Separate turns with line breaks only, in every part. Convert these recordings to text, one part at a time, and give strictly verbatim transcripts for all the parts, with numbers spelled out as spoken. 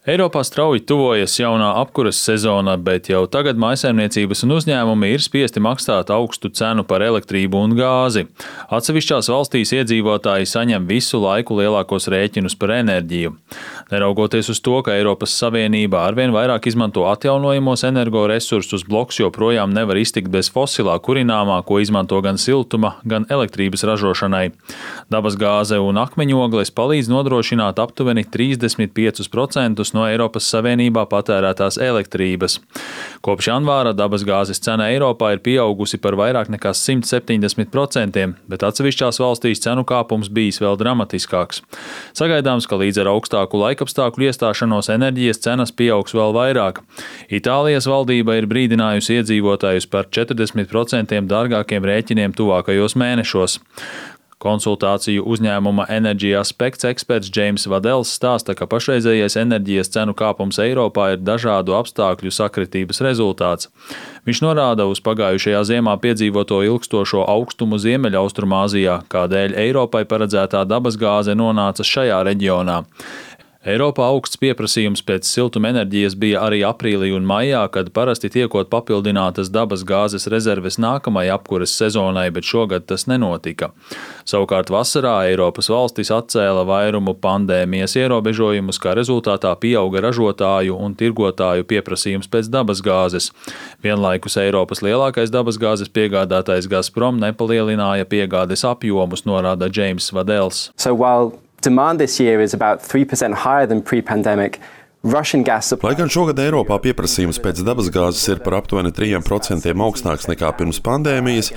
Eiropā strauji tuvojas jaunā apkuras sezona, bet jau tagad mājsaimniecības un uzņēmumi ir spiesti maksāt augstu cenu par elektrību un gāzi. Atsevišķās valstīs iedzīvotāji saņem visu laiku lielākos rēķinus par enerģiju. Neraugoties uz to, ka Eiropas Savienība arvien vairāk izmanto atjaunojamos energoresursus, bloks joprojām nevar iztikt bez fosilā kurināmā, ko izmanto gan siltuma, gan elektrības ražošanai. Dabasgāze un akmeņogles palīdz nodrošināt aptuveni trīsdesmit piecus procentus no Eiropas Savienībā patērētās elektrības. Kopš janvāra dabasgāzes cena Eiropā ir pieaugusi par vairāk nekā simt septiņdesmit procentiem, bet atsevišķās valstīs cenu kāpums bijis vēl dramatiskāks. Sagaidāms, ka līdz ar augstāku laikapstākļu iestāšanos enerģijas cenas pieaugs vēl vairāk. Itālijas valdība ir brīdinājusi iedzīvotājus par četrdesmit procentiem dārgākiem rēķiniem tuvākajos mēnešos. Konsultāciju uzņēmuma Energy Aspects eksperts James Vadels stāsta, ka pašreizējais enerģijas cenu kāpums Eiropā ir dažādu apstākļu sakritības rezultāts. Viņš norāda uz pagājušajā ziemā piedzīvoto ilgstošo augstumu Ziemeļaustrumāzijā, kādēļ Eiropai paredzētā dabasgāze nonāca šajā reģionā. Eiropā augsts pieprasījums pēc siltumenerģijas bija arī aprīlī un maijā, kad parasti tiekot papildinātas dabasgāzes rezerves nākamajai apkures sezonai, bet šogad tas nenotika. Savukārt vasarā Eiropas valstis atcēla vairumu pandēmijas ierobežojumus, kā rezultātā pieauga ražotāju un tirgotāju pieprasījums pēc dabasgāzes. Vienlaikus Eiropas lielākais dabasgāzes piegādātājs Gazprom nepalielināja piegādes apjomus, norāda James Vadels.
So while demand this year is about three percent higher than pre-pandemic, Russian gas supply.
Lai gan šogad Eiropā pieprasījums pēc dabasgāzes ir par aptuveni trim procentiem augstāks nekā pirms pandēmijas,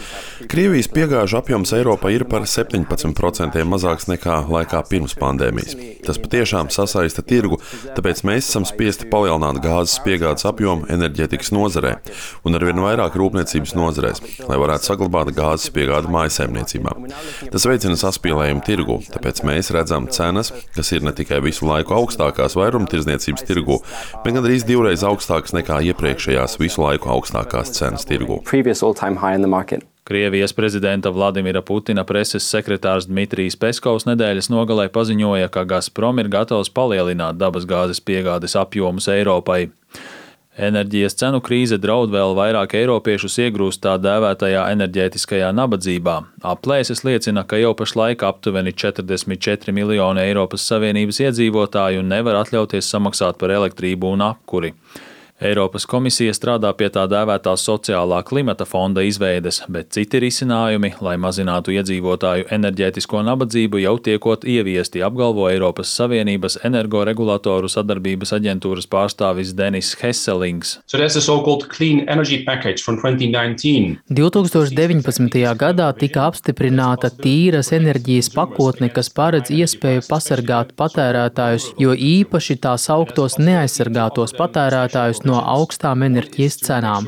Krievijas piegāžu apjoms Eiropā ir par septiņpadsmit procentiem mazāks nekā laikā pirms pandēmijas. Tas patiešām sasaista tirgu, tāpēc mēs esam spiesti palielināt gāzes piegādes apjomu enerģētikas nozarē un arvien vairāk rūpniecības nozarēs, lai varētu saglabāt gāzes piegādi mājsaimniecībām. Tas veicina saspīlējumu tirgu, tāpēc mēs redzam cenas, kas ir ne tikai visu laiku augstākās vairumtirdzniecības tirgu, bet gandrīz divreiz augstākas nekā iepriekšējās visu laiku augstākās cenas tirgu.
Krievijas prezidenta Vladimira Putina preses sekretārs Dmitrijs Peskovs nedēļas nogalē paziņoja, ka Gazprom ir gatavs palielināt dabasgāzes piegādes apjomus Eiropai. Enerģijas cenu krīze draud vēl vairāk eiropiešus iegrūst tā dēvētajā enerģētiskajā nabadzībā. Aplēses liecina, ka jau pašlaik aptuveni četrdesmit četri miljoni Eiropas Savienības iedzīvotāju nevar atļauties samaksāt par elektrību un apkuri. Eiropas komisija strādā pie tā dēvētā sociālā klimata fonda izveides, bet citi risinājumi, lai mazinātu iedzīvotāju enerģētisko nabadzību, jau tiekot ieviesti, apgalvo Eiropas Savienības energoregulatoru sadarbības aģentūras pārstāvis Denis Hesselings.
So that's the so-called Clean Energy Package from twenty nineteen.
divtūkstoš deviņpadsmitajā gadā tika apstiprināta tīras enerģijas pakotne, kas paredz iespēju pasargāt patērētājus, jo īpaši tā sauktos neaizsargātos patērētājus no augstām enerģijas cenām.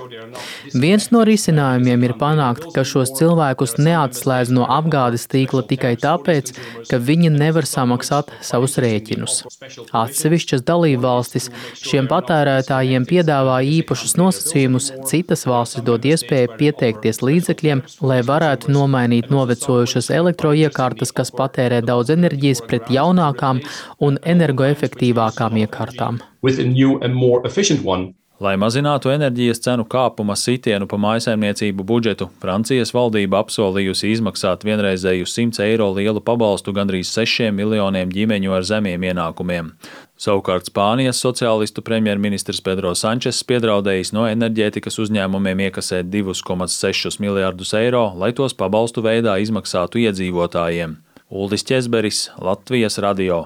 Viens no risinājumiem ir panākt, ka šos cilvēkus neatslēdz no apgādes tīkla tikai tāpēc, ka viņi nevar samaksāt savus rēķinus. Atsevišķas dalībvalstis šiem patērētājiem piedāvā īpašus nosacījumus, citas valstis dod iespēju pieteikties līdzekļiem, lai varētu nomainīt novecojušas elektroiekārtas, kas patērē daudz enerģijas, pret jaunākām un energoefektīvākām iekārtām.
With a new and more efficient one.
Lai mazinātu enerģijas cenu kāpuma sitienu pa mājsaimniecību budžetu, Francijas valdība apsolījusi izmaksāt vienreizēju simts eiro lielu pabalstu gandrīz sešiem miljoniem ģimeņu ar zemiem ienākumiem. Savukārt Spānijas sociālistu premjerministrs Pedro Sančes piedraudējis no enerģētikas uzņēmumiem iekasēt divus komats sešus miljardus eiro, lai tos pabalstu veidā izmaksātu iedzīvotājiem. Uldis Ķezberis, Latvijas radio.